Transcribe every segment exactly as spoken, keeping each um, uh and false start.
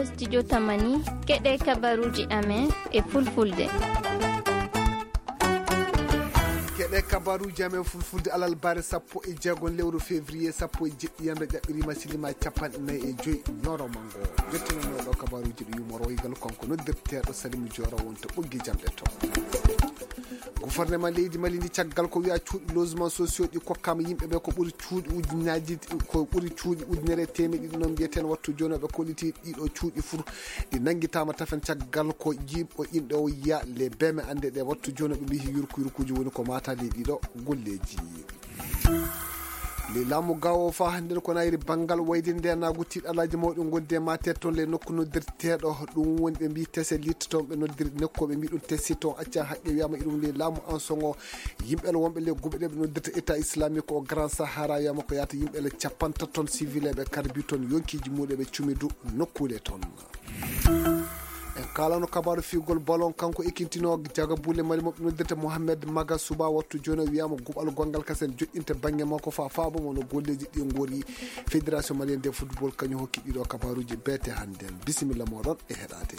Studio Tamani, keɗe kabaruji amen e fulfulde. Keɗe kabaruji amen fulfulde alal bare sappo e jeego lewru février sappo e jeɗɗi yamre ƴaɓɓirima silima capanɗe nayi e joyi ñoro mango. Jottinono ɗo kabaruji ɗo yumoro igal kanko noddirteɗo Salimu Joro wonto ɓoggi jamɗe to. Gouvernement leydi Mali ndi caggal ko wiya cuuɗi logement sociaux ɗi kokkama yimɓe ɓe ko ɓuri cuuɗi ujunnaaji, ko ɓuri cuuɗi ujunere e teemeɗe ɗiɗi noon mbiyeten wattu jooni ɓe kolliti ɗiɗo cuuɗi fur ɗi nanngitaama tafen caggal ko jiiɓo inɗe o yiya le beme annde ɗe wattu jooni ɓe mbiyi yurku yurkuuji woni ko maataade ɗiɗo golleeji. Le laamu gawo fa hannde ko nayri banngal wayde nde naagu tiiɗalaaji mawɗi ngonde e maateede toon le nokku noddirteeɗo ɗum woni ɓe mbiyi tese litte toon ɓe noddiri nokku ɓe mbiyi ɗum tesi toon acca haqqe wiyama iɗum le laamu en songo yimɓe le wonɓe le guɓe ɗe ɓe noddirta état islamique o grand sahara wiyama ko yata yimɓe le capantato toon civil eɓe karbi toon yonkiiji muɗum ɓe cumidu nokkuule toon. En kalano kabaru figol ballon kanko ekintino jaga bulle mali moɓe noddirta mohammed maga suba wattu joni wiyama guɓal gongal kasen joɗɗinta bangge makko fa faabo mono golleji ɗi gori. Fédération malienne de football kañum hokki ɗiɗo kabaruji bete hannden. Bisimilla moɗon e heɗade.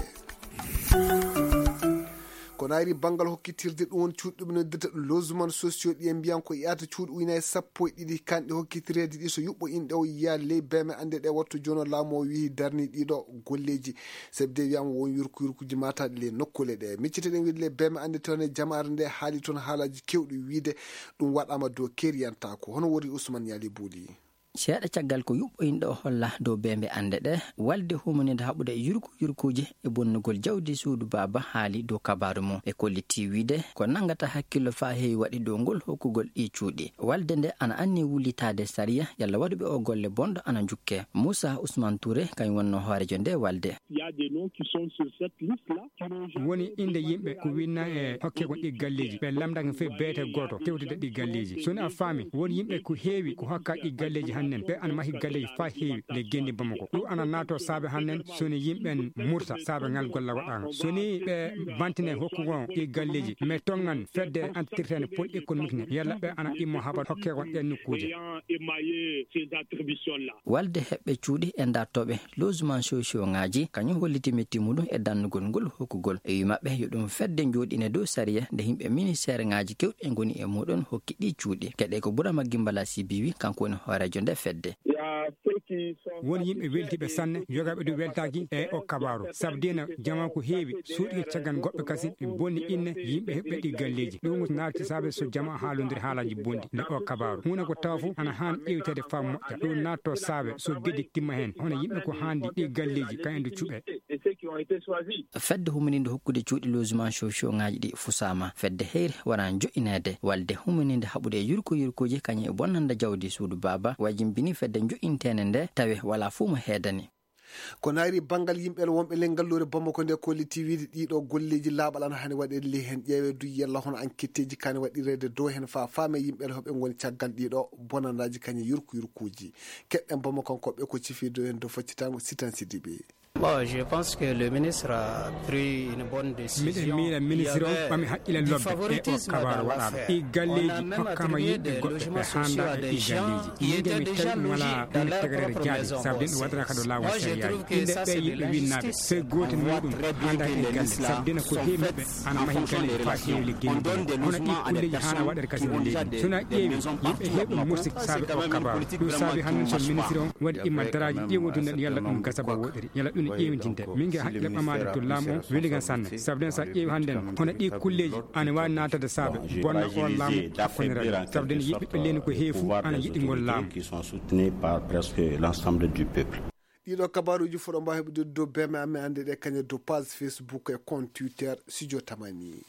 Ko nayri banngal hokkitirde ɗum woni cuuɗi ɗum noddirta ɗum logement sociaux ɗi en mbiyan ko yahata cuuɗi ujunaaji sappo e ɗiɗi kanɗe hokkitireede ɗi so yuɓɓo inɗe o yiya ley beme annde ɗe wattu jono laamu o wiyi darni ɗiɗo golleeji. Sabi de wiyama won yurku yurkuji mataɗi ley nokkuule ɗe micciteɗen wiide ley beme annde toon e jamaare nde haali toon haalaji kewɗi wiide ɗum waɗama dow keriyantako hono wori Ousmane Yali Bouli. Seeɗa caggal ko yuɓɓoyinɗo o holla dow beembe annde ɗe, walde humaninde haɓude yurku yurkuuji e bonnugol jawdi suudu baaba haali dow kabaaru mum. Ɓe kolliti wiide ko nanngata hakkillo faa heewi waɗi dow ngol hokkugol ɗii cuuɗi. Walde nde ana anni wullitaade sariya yalla waɗuɓe o golle bonɗo ana njukke. Muusa Usmaan Tuure kañum wonnoo hooreejo nde walde. Woni innde yimɓe ko winna e hokke kon ɗi galleeji ɓe lamdaka fof beete gooto tewtude ɗi galleeji so woni a faami won yimɓe ko heewi ko hokka ɗi galleeji hannden ɓe ana mahi galleeji faa heewi le genndi bamako ɗum ana naato saabe hannden so woni yimɓe murta saabe ngal golla waɗaanga so woni ɓe bantine hokku ngon ɗi galleeji mais tongan fedde antirtene pol économique ne yalla ɓe ana ɗimmo habar hokke kon ɗen nokkuuje. Walde heɓɓe cuuɗi e dartooɓe logement sociaux ŋaaji kañum holliti metti muɗum e dannugol ngol hokkugol e wi maɓɓe yo ɗum fedde njooɗine dow sariya nde yimɓe ministeer ŋaaji kewɗi ngoni e muɗum hokki ɗi cuuɗi keɗe ko burama gimbala sibiwi kanko woni hooreejo nde fedde. Won yimɓe weltiiɓe sanne yogaaɓe ɗum weltaaki e o kabaaru sabu dina jama ko heewi suuɗi caggal goɗɓe kasi bonni inne yimɓe heɓɓe ɗi galleeji ɗum naati saabe so jama haalondiri haalaaji bonɗi nde o kabaaru huunde ko tawa fof ana haan ƴeewteede faa moƴƴa ɗum naatto saabe so geddi timma heen hono yimɓe ko haandi ɗi galleeji kañum nde cuɓe. Fedde humininde hokkude cuuɗi logement sociaux ŋaaji ɗi fusaama fedde heyre wara joƴƴineede walde humininde haɓude e yurko yurkooji kañum e bonnande jawdi suudu baaba wajimbini fedde joƴƴinteende nde tawi wala fuu mo heedani. Ko nayri banngal yimɓe wonɓe ley ngalluure Bamako nde kolliti wiide ɗiɗo golleeji laaɓal ana hani waɗeede ley heen ƴeewe du yalla hono anketteeji kani waɗireede dow heen faa faame yimɓe hoɓe ngoni caggal ɗiɗo bonandaaji kañe yurku yurkuuji keɗɗen Bamako koɓɓe ko cifiido heen dow faccitango sitan sidiɓe. Bon, je pense que le ministre a pris une bonne décision. Miɗen miila ministre o ɓami haqqille lobbe e o kabaru waɗaɗo ɗi galleeji hokkama yimɓe goɗɓe ɓe handa e ɗi galleeji yimɓe mi tawi ɗum wala ɗum tegrere jaadi sabu den ɗum waɗata kado lawol sariyaji inde ɓe yimɓe winnaɓe sey gotel muɗum handa e galle sabu dena ko heewi maɓɓe ana mahi galle fa heewi liggeyde hono ɗi kulleji hana waɗata kasi no leydi sona ƴeewi yimɓe heewi ɗum mursi saabe o kabaru ɗum saabi hannden so ministre o waɗi imma daraaji ƴeewotude yalla ɗum gasa ba woɗɗiri yalla ɗum ƴeewtinte min nge haqqille ɓamaade to laamu o weli ngan sanne sabu den sa ƴeewi hannden hono ɗi kulleeji ana waawi naatade saabe bonna o laamu hakkondiral sabu den yiɓɓe ɓe leyni ko heewi fof ana yiɗi ngol laamu. Qui sont soutenus par presque l'ensemble du peuple. Ɗiɗo kabaruji foɗo mbawi heɓude dow beme amen ande ɗe kañe dow page Facebook e compte Twitter Studio Tamani.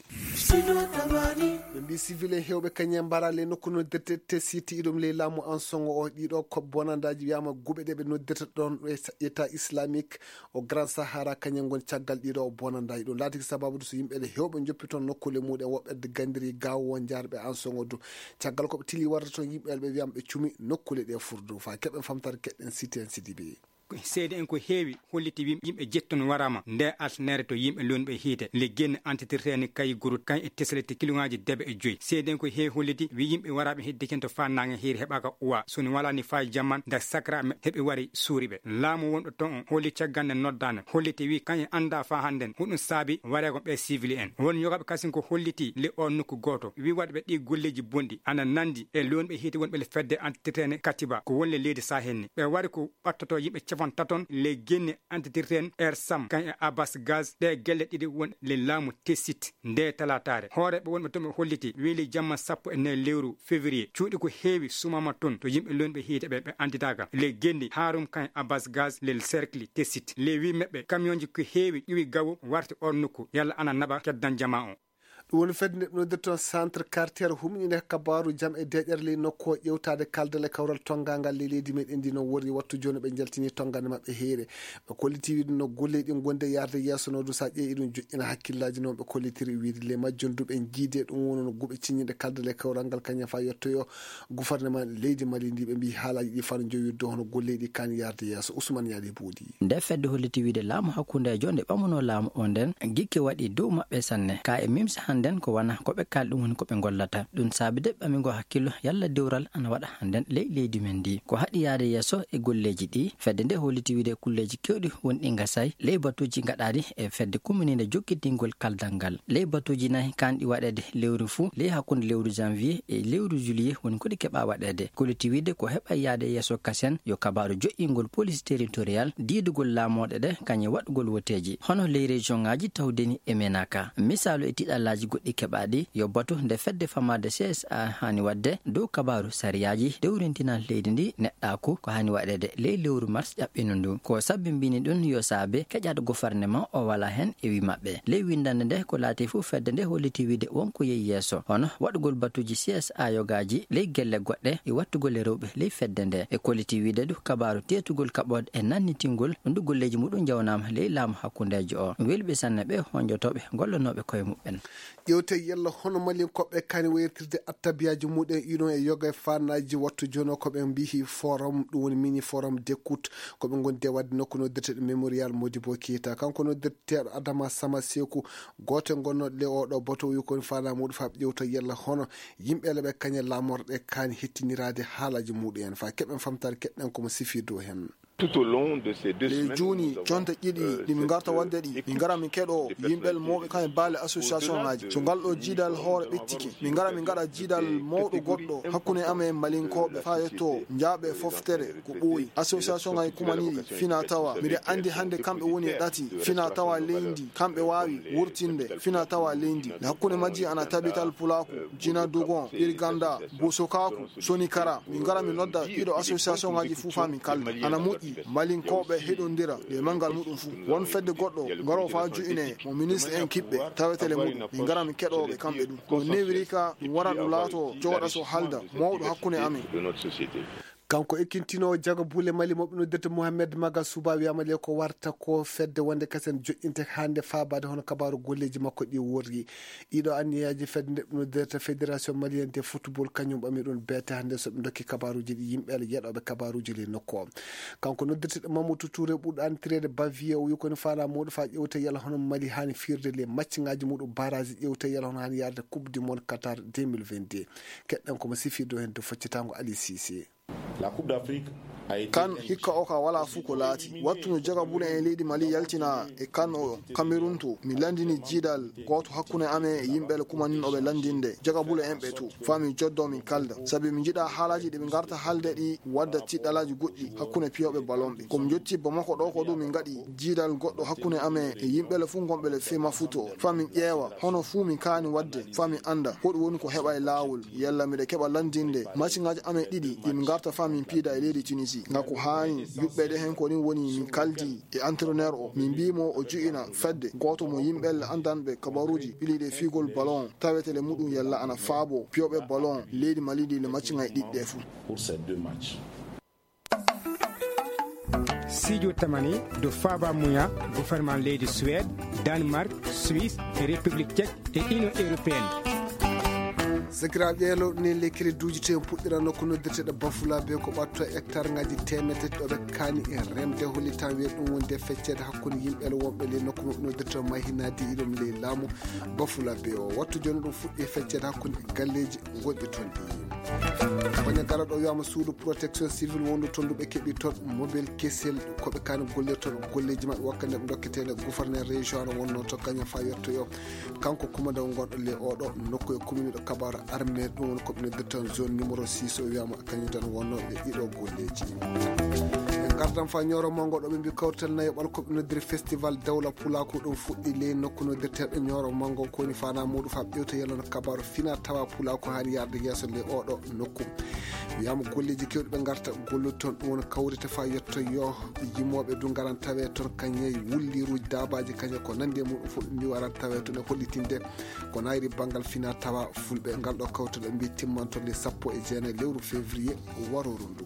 Ɓe mbi civil en hewɓe kañe mbara ley nokku noddirte te siti iɗum ley laamu en songo o ɗiɗo ko bonandaji wiyama guɓe ɗe ɓe noddirta ɗon ɗo e sa- état islamique o grand sahara kañe ngon caggal ɗiɗo o bonandaji ɗum laatiki sababude so yimɓe ɗe hewɓe joppi toon nokkule muɗen woɓɓe gandiri gawo won jarɓe en songo du caggal koɓe tili warde toon yimɓe ɓe wiyama ɓe cumi nokkule ɗe furdu fa keɓen famtare keɗɗen siti en sidibe. Seede'en ko heewi holliti wi yimɓe jetton waraama nde altanere to yimɓe lonɓe hiite le genne antitirteni kayi gurut kan e teslete kiloŋaaji debe e joyi. Seede'en ko heewi holliti wi yimɓe waraaɓe hedde cen to faa naange hiiri heɓaaka uwa soni walaani faa jamman nde sakra heɓe wari suuri ɓe. Laamu wonɗo ton on holli caggal nde noddaande holliti wi kan e annda faa hannden huɗum saabi wareego ɓe sivili en. Won yogaaɓe kasin ko holliti le o nokku gooto wi waɗɓe ɗi golleeji bonɗi ana nandi e lonɓe hiite wonɓe le fedde antitirteni katiba ko wonle leydi sahen ni ɓe wari ko ɓattoto yimɓe capantaton le genne antitirten er sam kan e abas gaz ɗe gelle ɗiɗi won le laamu tesit nde talataare hooreɓe wonɓe toon ɓe holliti weeli jamma sappo e nayi lewru février cuuɗi ko heewi sumama toon to yimɓe lonɓe hiite ɓe ɓe anditaka le gendi harum kan e abas gaz le cercle tesit le wi meɓɓe kamionji ko heewi ƴuwi gawo warti on nokku yalla ana naɓa keddan jama on. Ɗum woni fedde nde ɗum noddirton centre quartier humni nde kabaaru jam e deeƴere ley nokku o ƴewtaade kaldal e kawral tonngangal ley leydi meɗen ndi noon worri wattu jooni ɓe njaltini tonngande maɓɓe heere. Ɓe kolliti wiide no golle ɗin gonde yarde yeeso no du sa ƴeewi ɗum joƴƴina hakkillaaji noon ɓe kollitiri wiide le majjum du ɓe jiide ɗum wono no guɓe ciññiɗe kaldal e kawral ngal kañum fa yettoyo gouvernement leydi mali ndi ɓe mbi haalaaji ɗi fano jowi do hono golle ɗi kan yarde yeeso usman yaali buudi. Nde fedde holliti wiide laamu hakkundeejo nde ɓamuno laamu o nden gikke waɗi dow maɓɓe sanne ka e mimsa hannden ko wana ko ɓe kalɗum woni ko ɓe gollata ɗum saabi de ɓamigo hakkillo yalla dewral ana waɗa hannden ley leydi men ndi ko haɗi yaade yeeso e golleeji ɗi fedde nde holliti wiide kulleeji kewɗi wonɗi gasay ley batuuji gaɗaaɗi e fedde kumininde jokkitingol kaldal ngal ley batuuji nayi kanɗi waɗeede lewru fuu ley hakkunde lewru janvier e lewru juillet woni ko ɗi keɓa waɗeede kolliti wiide ko heɓa yaade yeeso kasen yo kabaaru joƴƴingol police territorial diidugol laamooɗe ɗe kañum waɗugol woteeji hono ley région ŋaaji tawdeni e menaka misaalu e tiɗallaaji goɗɗi keɓaaɗi yo batu nde fedde famaade csa haani waɗde dow kabaaru sariyaaji dewrintinal leydi ndi neɗɗaaku ko haani waɗeede ley lewru mars ƴaɓɓino ndu ko sabbimbini ɗum yo saabe keƴaɗo gofarnement o wala heen e wi maɓɓe ley winndannde nde ko laati fof fedde nde holliti wiide wonko yehi yeeso hono waɗugol batuuji csa yogaaji ley gelle goɗɗe e wattugol e rewɓe ley fedde nde e kolliti wiide du kabaaru teetugol kaɓooɗe e nannitingol ɗum du golleeji muɗum njawnaama ley laamu hakkundeejo o welɓe sanne ɓe honjotooɓe gollonooɓe koye muɓɓen. Ƴewte yalla hono malinkoɓe kani wayirtirde attabiyaaji muɗen inon e yoga e faanaaji wattu jono ko ɓe mbihi forum ɗum woni mini forum d'écoute ko ɓe gondi e waɗde nokku noddirteɗo mémorial modibo keita kanko noddirteɗo adama sama seku gooto e gonnooɗo le oɗo bato wi koni faanaa muɗum faa ɓe ƴewta yalla hono yimɓe le ɓe kañe laamorɗe kaani hettiniraade haalaaji muɗum en faa keɓen famtaade keɗɗen komo sifii dow heen. Tout au long de ces deux semaines, jooni jonte ɗiɗi ɗi min ngarta waɗde ɗi min ngara min keɗo yimɓel mawɓe kam e baale association ngaji so ngal ɗo jiidal hoore ɓettike min ngara min ngaɗa jiidal mawɗo goɗɗo hakkunde amen malinkooɓe faa yetto njaaɓe foftere ko ɓooyi association ngaji kumaniiɗi fina tawa miɗa anndi hannde kamɓe woni e ɗati fina tawa leydi kamɓe waawi wurtinde fina tawa leydi hakkunde majji ana tabital pulaaku jina dugon irganda bosokaaku soni kara min ngara min nodda ɗiɗo association ngaji fuu faa min kalda ana moƴƴi malinkooɓe heɗondira nde manngal muɗum fuu won fedde goɗɗo ngaro faa ju'ine mo ministre en kiɓɓe tawetele muɗum min ngara min keɗooɓe kamɓe ɗum ko newiri ka ɗum wara ɗum laato jogoɗa so halda mawɗo hakkunde amen. Kanko ekkintinoowo jago buule mali mo ɓe noddirta mohamed maga suba wiyama le ko warta ko fedde wonde kasen joƴƴinte hannde faabaade hono kabaaru golleeji makko ɗi worri ɗiɗo anniyaaji fedde nde ɓe noddirta fédération malienne de football kañum ɓami ɗum beete hannde so ɓe dokki kabaaruuji ɗi yimɓe ala yeɗooɓe kabaaruuji le nokku o. Kanko noddirteɗo mamadou touré ɓurɗo antireede bavier o wi koni faala muɗum faa ƴewte yala hono mali haani fiirde le macciŋaaji muɗum baraaji ƴewte yala hono haani yarde coupe du monde qatar deux mille vingt-deux. Keɗɗen komo sifirde o heen dow faccitango ali sise. Kan hikka o ka wala fuu ko laati wattu no jaga bule en leydi mali yaltina e kan o kamerun to mi landini jiidal gooto hakkunde amen e yimɓe le kumanin oɓe landinde jaga bule en ɓe to faa min joddo min kalda sabi min njiɗa haalaaji ɗi ɓe ngarta haalde ɗi wadda tiɗɗalaaji goɗɗi hakkunde piyooɓe balon ɓe ko min njotti bamako ɗo ko ɗum min ngaɗi jiidal goɗɗo hakkunde amen e yimɓe le fuu gonɓe le fema futo faa min ƴeewa hono fuu min kaani wadde faa min annda hoɗum woni ko heɓa e laawol yalla miɗa keɓa lanndinde masiŋaaji amen ɗiɗi ɗi min ngarta faa min piida e leydi tunisi ngam ko haani yuɓɓeede heen ko ɗum woni min kaldi e entraineur o min mbii mo o ju'ina fedde gooto mo yimɓe le anndanɓe kabaruuji ɓiliiɗe fiigol ballon tawetele muɗum yalla ana faabo piyooɓe ballon leydi mali ndi le masiŋaaji ɗiɗi ɗe fuu. Sijo tamani do faba muya gouvernement leydi suède, danemark, suisse e république tchèque e union européenne. Sakiraaɓe, ƴeelo ɗum en ley crédit uji to en puɗɗira nokku noddirteeɗo Bafulabe ko ɓatto hectare ngaji teemedde tati ɗo ɓe kaani e remde hollitan wiye ɗum wonde fecceede hakkunde yimɓe wonɓe ley nokku noddirteeɗo Mahinadi iɗum ley laamu Bafulabe o. Wattu jooni ɗum fuɗɗi fecceede hakkunde galleeji gonɗi toon ɗi. Kono gala ɗo wiyama suudu protection civil wondu toon ndu ɓe keɓi toon mobile kesel ko ɓe kaani gollirta toon golleeji maɓɓe wakkati nde ɓe dokkete nde gouverneur région no wonno to kañum fa yettoyo. Kanko kumandaw gonɗo ley oɗo nokku e commune ɗo kabaru armée ɗum woni ko ɓe noddirta toon zone numéro six o wiyama kañum tan wonno e ɗiɗo golleeji. E gardan fa ñooro mango ɗo ɓe mbi kawtal nayoɓal ko ɓe noddiri festival dawla pulaku ɗum fuɗɗi ley nokku noddirteeɗo ñooro mango ko woni fana muɗum fa ɓewta yalano kabaru fina tawa pulaku haali yarde yeeso ley oɗo nokku. Wiyama golleeji kewɗi ɓe garta gollude toon ɗum woni kawrite fa yetto yo yimooɓe du ngaran tawe toon kañe wulliruji dabaji kañe ko nandi e muɗum fof ɓe mbi waran tawe toon e hollitinde ko nayri banngal fina tawa fulɓe ngal ɗo kawtal ɓe mbi timmanto le sappo e jeenayi lewru février waroro ndu.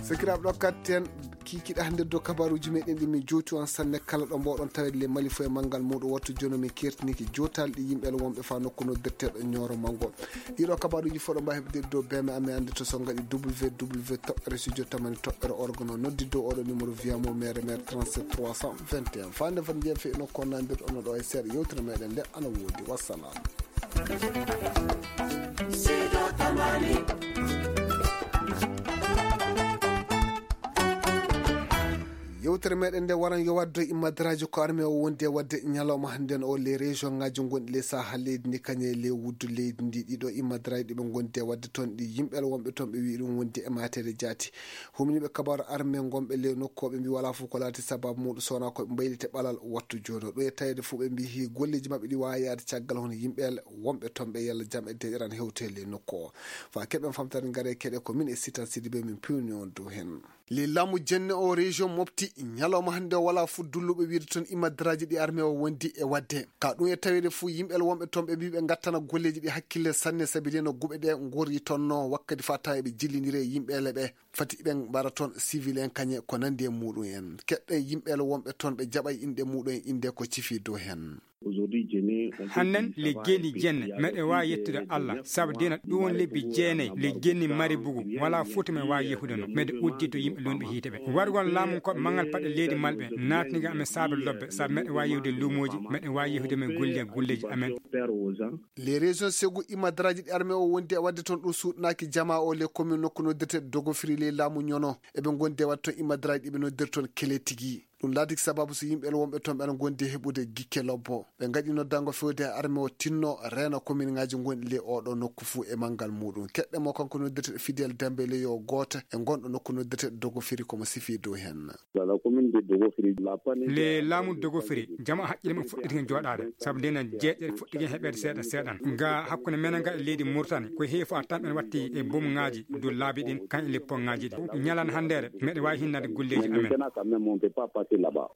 Sakiraaɓe ɗo katten kikiɗa hannde dow kabaruuji meɗen ɗi min jowti on sanne kala ɗo mboɗon tawede le mali fof e manngal muɗum wattu jono min kertiniki jotal ɗi yimɓe wonɓe fa nokku noddirteɗo ñooro mango. Ɗiɗo kabaruuji fof ɗo mbawi heɓde dow beme amen annde to so ngaɗi www toɓɓere studio tamani toɓɓere orgono noddi dow oɗo numéro viyamo mere mere trente-sept trois cent vingt et un fande fande jeefe ino konnandirɗo ono ɗo e seeɗa yewtere meɗen nde ana woodi wassalam. Yewtere meɗen nde waran yo waddo immadraji ko arme o wondi e wadde ñalawma hannden o les région ngaji gonɗi les saha leydi ndi kañe les wuddu leydi ndi ɗiɗo immadraji ɗiɓe gondi e wadde toon ɗi yimɓe wonɓe toon ɓe wi ɗum wondi e matede jaati. Humniiɓe kabaru arme gonɓe ley nokku o ɓe mbi wala fof ko laati sababu muɗum sowona koɓe mbaylite ɓalal wattu jooɗo ɗo e tawede fof ɓe mbi hi golleji maɓɓe ɗi wawa yaade caggal hono yimɓe wonɓe toon ɓe yalla jam e deƴeran hewte ley nokku o. Fa keɓen famtare ngare keɗe ko min e sitan sidi ɓe min pewni on dow hen. Ley laamu jenne o région mofti ñalawma hannde o wala fof dulluɓe wiide toon immadraji ɗi arme o wondi e wadde ka ɗum e tawede fof yimɓe wonɓe toon ɓe mbi ɓe gattana golleji ɗi hakkille sanne saabi de no guɓe ɗe gori tonno wakkati fa tawa eɓe jillidiri e yimɓe leɓe fati ɓe mbara toon civil en kañe ko nandi e muɗum en keɗɗe yimɓe wonɓe toon ɓe jaɓa inɗe muɗum en inde ko cifi dow hen. Hannden le geeni jenne meɗe waawi yettude allah sabu dina ɗum woni lebbi jeenayi le geeni mari bugu wala foti me waawi yehude no meɗe uddi to yimɓe lunɓe hiite ɓe wargol laamu ko mangal paɗe leydi malɓe naatniga amen saabe lobbe sabu meɗe waawi yehude luumooji meɗe waawi yehude men gulle gulleeji amen. Les régions segu imadraji ɗi armée o wondi e wadde toon ɗum suuɗnaaki jama o les commune nokku noddirte dogofiri ley laamu ñono eɓe gondi e wadde toon imadraji ɗiɓe noddir toon kele tigi. Ɗum laatiki sababu so yimɓe wonɓe toon ɓe ana gondi e heɓude gikke lobbo ɓe ngaɗi noddango fewde e arme o tinno reena commune ngaji gonɗi ley oɗo nokku fuu e manngal muɗum keɗɗe mo kanko noddirteɗo fidel dembe ley yo gooto e gonɗo nokku noddirteɗo dogofiri komo sifi dow hen. Le laamu dogofiri jama haqqille mum fuɗɗiti hen jooɗaade sabu ndena jeeƴere fuɗɗiti hen heɓeede seeɗa seeɗan ga hakkunde menen ga e leydi murtani ko heewi fof a tan ɓen watti e bumŋaaji dow laabi ɗin kañ e leppoŋaaji ɗi ñalan hanndeere meɗe waawi hinnade golleeji amen.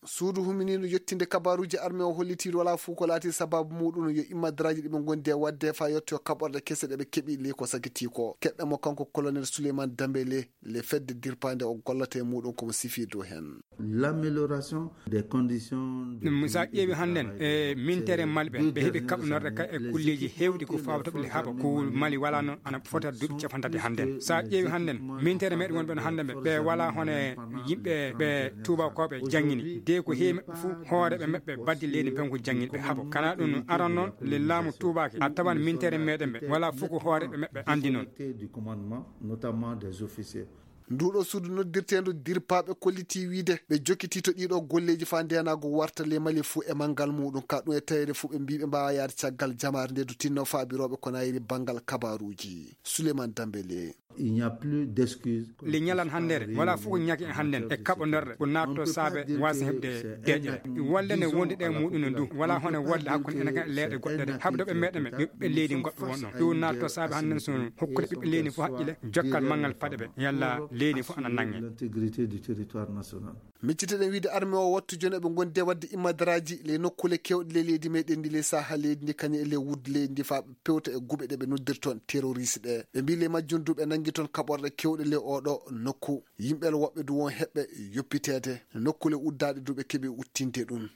Suudu huminiino yettinde kabaruuji arme o hollitiiɗo wala fof ko laati sababu muɗum yo immadraaji ɗi ɓe ngondi e waɗde fa yetto kaɓorɗe kese ɗe ɓe keɓi ley ko sakitii ko keɗɗa mo kanko colonel Souleymane Dembélé le fedde dirpaande o gollata e muɗum komo sifii dow heen. L'amélioration des conditions de ɗum sa ƴeewi hannden e mintere mali ɓe ɓe heɓi kaɓnorɗe ka e kulleeji heewɗi ko fawtoɓe le haɓa ko mali wala noon ana fota duuɓi capantati hannden sa ƴeewi hannden mintere meɗe wonɓe no hannden ɓe ɓe wala hono e yimɓe ɓe tubakoɓe janngini de ko heewi maɓɓe fof hooreɓe maɓɓe baddi leydi pen ko janngini ɓe haɓa kana ɗum aran noon le laamu tubaki a tawan mintere meɗen ɓe wala fof ko hooreɓe maɓɓe andi noon. Notamment des officiers. Nduɗo suudu noddirteendu dirpaaɓe kollitii wiide ɓe jokkitii to ɗiɗo golleeji faa ndeenaagu warta le mali fuu e manngal muuɗum ka ɗum e taweede fuu ɓe mbii ɓe mbaawaa yahde caggal jamaare nde du tinno faabirooɓe ko nayri banngal kabaaruuji. Souleymane Dembélé. Il n'y a plus d'excuse. Le ñalan hanndere wala fof ko ñaki e hannden e kaɓonorɗe ko naatto saabe waasa heɓde deeƴere. Walla ne wondi ɗe muuɗum no ndu wala hono walla hakkunde ene kan e leeɗe goɗɗe de habdoɓe meɗe men ɓiɓɓe leydi goɗɗo won ɗon ɗum naatto saabe hannden so hokkude ɓiɓɓe leydi fof haqqille jokkal manngal paɗe ɓe yalla leydi fof ana nannge. L'intégrité du territoire national. Micciteɗen wiide arme o wattu jooni eɓe ngondi e waɗde immadaraaji ley nokkuule keewɗe ley leydi meɗen ndi ley saha leydi ndi kañum e ley wuddu leydi ndi faa ɓe pewta e guɓe ɗe ɓe noddirton terroriste ɗe ɓe mbii ley majjum du ɓe nanngi toon kaɓorɗe keewɗe ley oɗo nokku. Yimɓe woɓɓe du won heɓɓe yoppiteede nokkuule uddaaɗe du ɓe keɓi uttinde ɗum.